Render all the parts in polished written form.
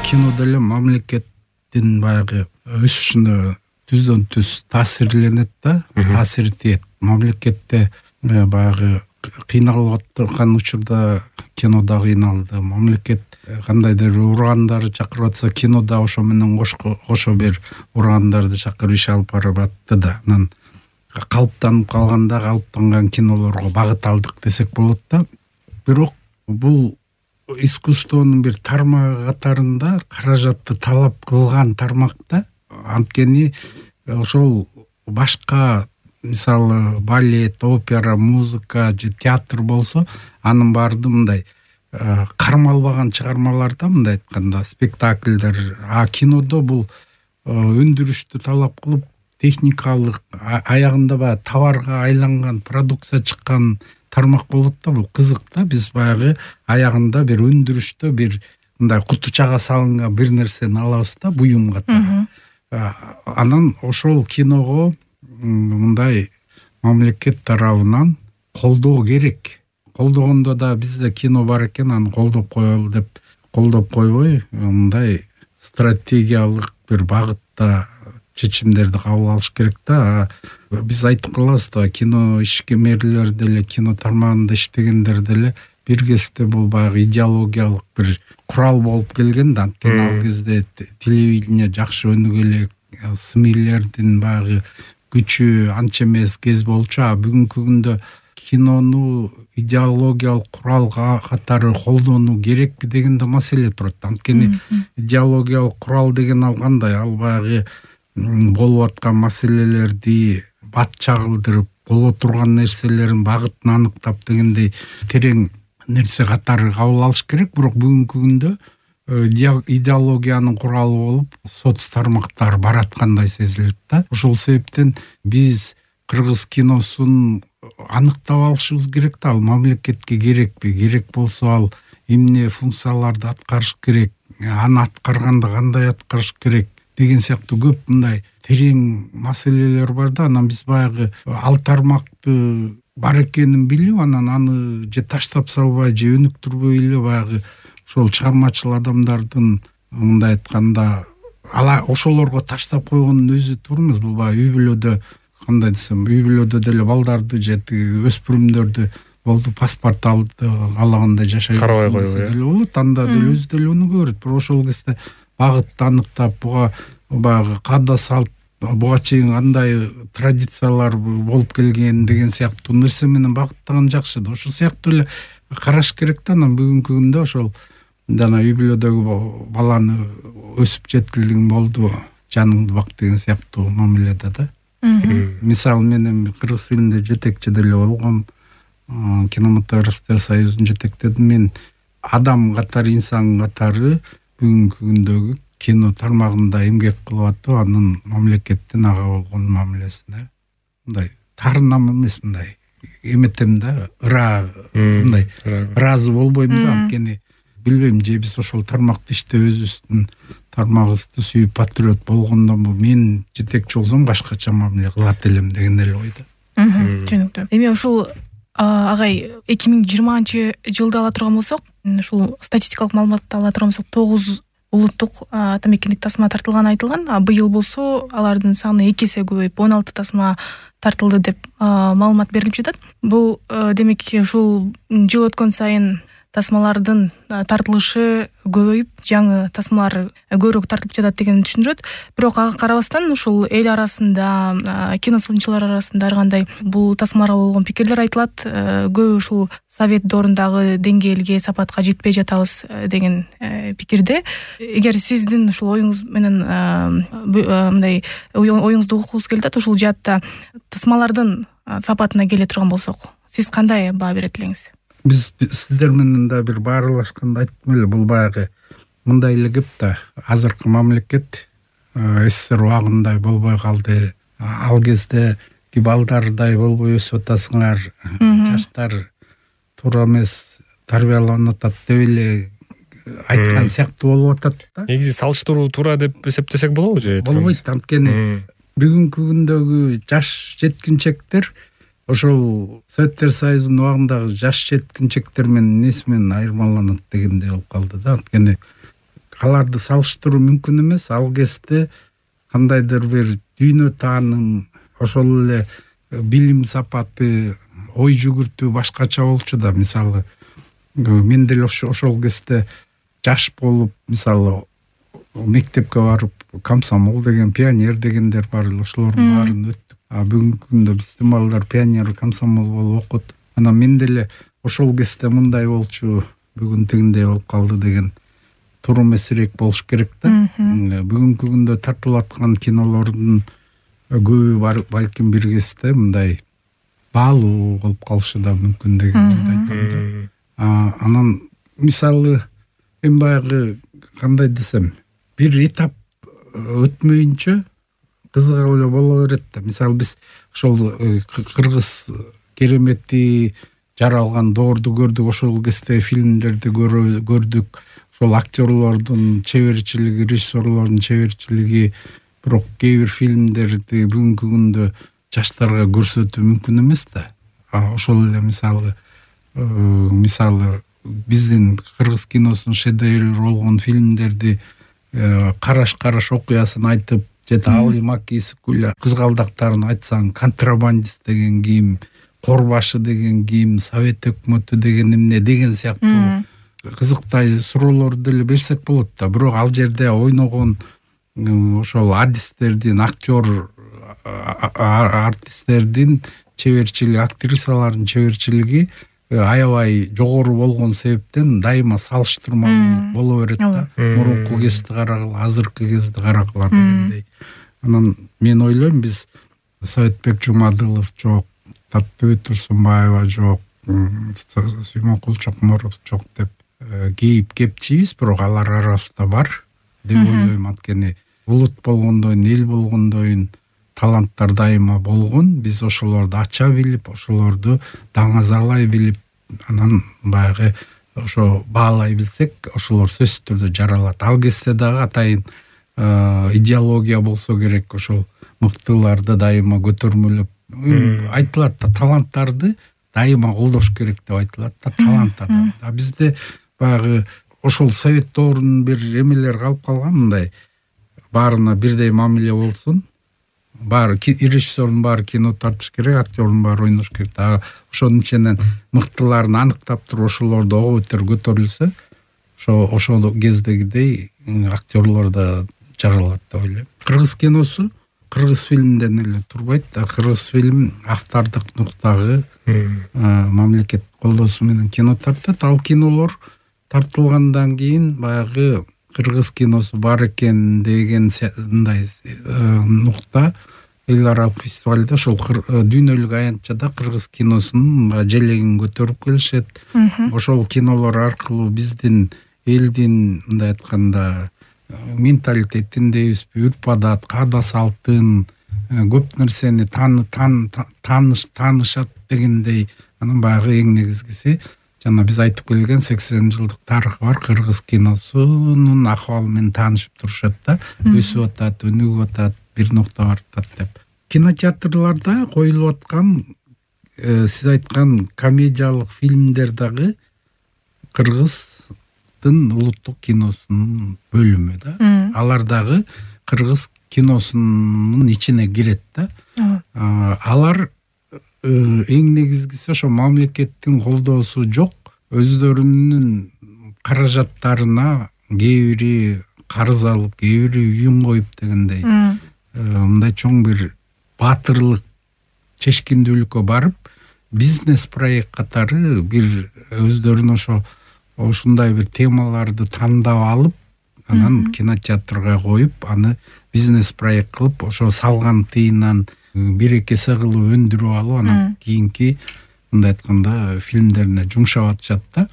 кино деле мамлекеттин баягы өсүшүнө түздөн түз таасирленет да, таасир тиет. Мамлекетте баягы кыйналып аткан учурда кино да кыйналды. Мамлекет кандайдыр ургандарды чакырып атса, кино да ошо менен кошо бир ургандарды чакырып иш алып барып атты да. Анан калыптанып калганда калыптанган кинолорго багыт алдык десек болот да. Бирок бул искусствонун бир тармагы катарында каражатты талап кылган тармак да. Анткени ошол башка, мисалы балет, опера, музыка же театр болсо, анын баардыгы мындай кармалбаган чыгармалар да, мындай айтканда спектакльдер. А кинодо бул өндүрүштү талап кылып, техникалык аягында баягы товарга айланган продукция чыккан тармак болот да. Бул кызык да. Биз баягы аягында бир өндүрүштө бир мындай кутучага салынган бир нерсени алабыз да, буюм катары. Анан ошол киного мындай мамлекет тарабынан колдоо керек. Колдогондо да бизде кино бар экен, аны колдоп коелу деп колдоп койбой, мындай стратегиялык бир багытта чечимдерди кабыл алыш керек да. Биз айтып калабыз да, кино ишкемерлер деле, кино тармагында иштегендер деле бир кезде бул баягы идеологиялык бир курал болуп келген да. Анткени ал кезде телевидение жакшы өнүгө элек, СМИлердин баягы күчү анча эмес кез болчу. А бүгүнкү күндө кинону идеологиялык курал катары колдонуу керекпи дегенде маселе турат. Анткени идеологиялык курал деген ал кандай? Ал баягы болуп аткан маселелерди бат чагылдырып, боло турган нерселерин багытын аныктап дегендей терең нерсе катары кабыл алыш керек. Бирок бүгүнкү күндө идеологиянын куралы болуп соц тармактар бараткандай сезилет да. Ошол себептен биз кыргыз киносун аныктап алышыбыз керек да. Ал мамлекетке керекпи? Керек болсо ал эмне функцияларды аткарыш керек? Аны аткарганда кандай аткарыш керек? Деген сыяктуу көп мындай терең маселелер бар да. Анан биз баягы ал тармакты бар экенин билип, анан аны же таштап салбай, же өнүктүрбөй эле баягы ошол чыгармачыл адамдардын мындай айтканда ошолорго таштап койгондун өзү туура эмес. Бул баягы үй бүлөдө, кандай десем, үй бүлөдө деле балдарды же өспүрүмдөрдү болду паспорт алды, каалагандай жашай берсе деле болот. Анда деле өзү деле өнүгө берет. Бирок ошол кезде багытты аныктап, буга баягы каада салт, буга чейин кандай традициялар болуп келген деген сыяктуу нерсе менен багыттаган жакшы да. Ошол сыяктуу эле караш керек да. Анан бүгүнкү күндө ошол жана үй бүлөдөгү баланы өсүп жеткилиң болду, жаныңды бак деген сыяктуу мамиледе да. Мисалы мен кыргыз фильмде жетекчи деле болгом, кинематографисттер союзун жетектедим. Мен адам катары, инсан катары бүгүнкү күндөгү кино тармагында эмгек кылып атып, анын мамлекеттин ага болгон мамилесине мындай таарынам эмес, мындай эметем да, мындай ыраазы болбойм да. Анткени билбейм, же биз ошол тармакты иштеп өзүбүздүн тармагыбызды сүйүп патриот болгондон мен жетекчи болсом башкача мамиле кылат элем деген эле ойдо. Түшүнүктүү. Эми ушул агай 2020-жылды ала турган болсок, ушул статистикалык маалыматты ала турган болсок, 9 улуттук атамекендик тасма тартылганы айтылган. Быйыл болсо алардын саны 2 эсе көбөйүп 16 тасма тартылды деп маалымат берилип жатат. Бул демек ушул жыл өткөн сайын тасмалардын тартылышы көбөйүп, жаңы тасмалар көбүрөөк тартылып жатат деген түшүндүрөт. Бирок ага карабастан ушул эл арасында, кино сынчылар арасында ар кандай бул тасмаларга болгон пикирлер айтылат. Көбү ушул совет доорундагы деңгээлге, сапатка жетпей жатабыз деген пикирде. Эгер сиздин ушул оюңуз менен мындай оюңузду угукубуз келип атат, ушул жаатта тасмалардын сапатына келе турган болсок, сиз кандай баа берет элеңиз? Биз сиздер менен да бир баарлашканда айттым эле, бул баягы мындай эле кеп да. Азыркы мамлекет СССР убагындай болбой калды. Ал кезде балдардай болбой өсүп атасыңар, жаштар туура эмес тарбияланып атат деп эле айткан сыяктуу болуп атат да. Негизи салыштыруу туура деп эсептесек болобу же? Болбойт. Анткени бүгүнкү күндөгү жаш жеткинчектер ошол Советтер Союзунун убагындагы жаш жеткинчектер менен эмеси менен айырмаланат дегендей болуп калды да. Анткени аларды салыштыруу мүмкүн эмес. Ал кезде кандайдыр бир дүйнө тааным, ошол эле билим сапаты, ой жүгүртүү башкача болчу да. Мисалы мен деле ошол кезде жаш болуп, мисалы мектепке барып, комсомол деген, пионер дегендер бар эле, ошолордун баарын өттүк. Бүгүнкү күндө биздин балдар пионер, комсомол болуп окут. Анан мен деле ошол кезде мындай болчу, бүгүн тигиндей болуп калды деген турум эсирээк болуш керек да. Бүгүнкү күндө тартылып аткан кинолордун көбү балким бир кезде мындай баалуу болуп калышы да мүмкүн деген ойдойм да. Анан мисалы мен баягы кандай десем, бир этап өтмөйүнчө кызык эле боло берет да. Мисалы биз ошол кыргыз керемети жаралган доорду көрдүк, ошол кезде фильмдерди көрдүк. Ошол актерлордун чеберчилиги, режиссерлордун чеберчилиги, бирок кээ бир фильмдерди бүгүнкү күндө жаштарга көрсөтүү мүмкүн эмес да. Ошол эле мисалы биздин кыргыз киносунун шедеври болгон фильмдерди караш окуясын айтып, же Али Маки Исикуля кызгалдактарын айтсаң, Контрабандист деген ким, Корбашы деген ким, Совет өкмөтү деген эмне деген сыяктуу кызыктай суроолорду деле берсек болот да. Бирок ал жерде ойногон ошол адистердин, актер артисттердин чеберчилиги, актрисалардын чеберчилиги аябай жогору болгон себептен дайыма салыштырмалуу боло берет да. Мурунку кезди карагыла, азыркы кезди карагыла дегендей. Анан мен ойлойм, биз Советбек Жумадылов жок, Таттыбек Турсунбаева жок, Сүймөнкул Чокморов жок деп кейип кепчибиз, бирок алар арасында бар деп ойлойм. Анткени улут болгондойн, эл болгондойн таланттар дайыма болгон. Биз ошолорду ача билип, ошолорду даңазалай билип, анан баягы ошо баалай билсек, ошолор сөзсүз түрдө жаралат. Ал кезде дагы атайын идеология болсо керек, ошол мыктыларды дайыма көтөрмөлөп айтылат да, таланттарды дайыма колдош керек деп айтылат да, таланттарды. Бизде баягы ошол совет доорунун бир эмелери калып калган, мындай баарына бирдей мамиле болсун, баары режиссердун баары кино тартыш керек, актердун баары ойнош керек. Ошонун ичинен мыктыларын аныктап туруп ошолорду ого бетер көтөрүлсө, ошол кездегидей актерлор да жаралат деп ойлойм. Кыргыз киносу кыргыз фильмден эле турбайт да. Кыргыз фильм автордук нуктагы мамлекет колдоосу менен кино тартат. Ал кинолор тартылгандан кийин баягы кыргыз киносу бар экен деген мындай нукта эл аралык фестивалда, ошол дүйнөлүк аянтчада кыргыз киносунун желегин көтөрүп келишет. Ошол кинолор аркылуу биздин элдин мындай айтканда менталитетин дейбизби, үрп-адат, каада салтын, көп нерсени таанышат дегендей. Анан баягы эң негизгиси жана биз айтып келген 80 жылдык тарыхы бар кыргыз киносунун акыбалы менен таанышып турушат да. Өсүп атат, өнүгүп атат, бир нукта баратат деп. Кинотеатрларда коюлуп аткан сиз айткан комедиялык фильмдер дагы кыргыздын улуттук киносунун бөлүмү да. Алар дагы кыргыз киносунун ичине кирет да. Алар эң негизгиси ошо мамлекеттин колдоосу жок, өздөрүнүн каражаттарына кээ бири карыз алып, кээ бири үйүн коюп дегендей мындай чоң бир баатырлык, чечкиндүүлүккө барып, бизнес проект катары бир өздөрүнүн ушундай бир темаларды тандап алып, анан кинотеатрга коюп, аны бизнес проект кылып, ошо салган тыйынан 1-2 эсе кылып өндүрүп алып, анан кийинки мындай айтканда фильмдерине жумшап атышат да.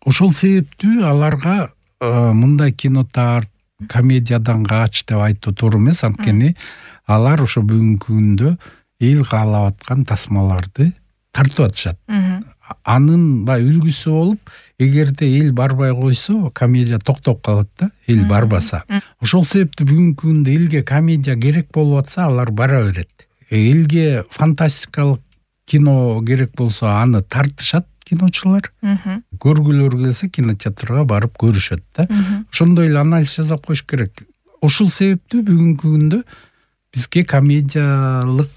Ошол себептүү аларга мындай кинотеатр комедиядан каач деп айтуу туура эмес. Анткени алар ошо бүгүнкү күндө эл каалап аткан тасмаларды тартып атышат. Анын үлгүсү болуп, эгерде эл барбай койсо, комедия токтоп калат да, эл барбаса. Ошол себептүү бүгүнкү күндө элге комедия керек болуп атса, алар бара берет. Элге фантастикалык кино керек болсо, аны тартышат. киночулар. Көргүлөр келсе кинотеатрга барып көрүшөт да. Ошондой эле анализ жасап коюш керек. Ушул себептүү бүгүнкү күндө бизге комедиялык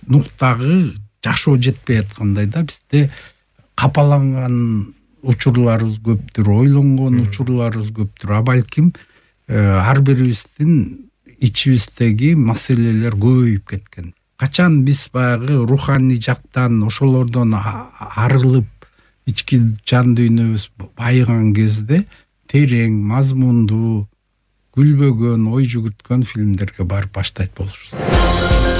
нуктагы жашоо жетпей аткандай да. Бизде капаланган учурларыбыз көптүр, ойлонгон учурларыбыз көптүр. Балким ар бирибиздин ичибиздеги маселелер көбөйүп кеткен. Качан биз баягы руханий жактан ошолордон арылып, ички жан дүйнөбүз байыган кезде терең, мазмундуу, күлбөгөн, ой жүгүрткөн фильмдерге барып баштайт болушубуз.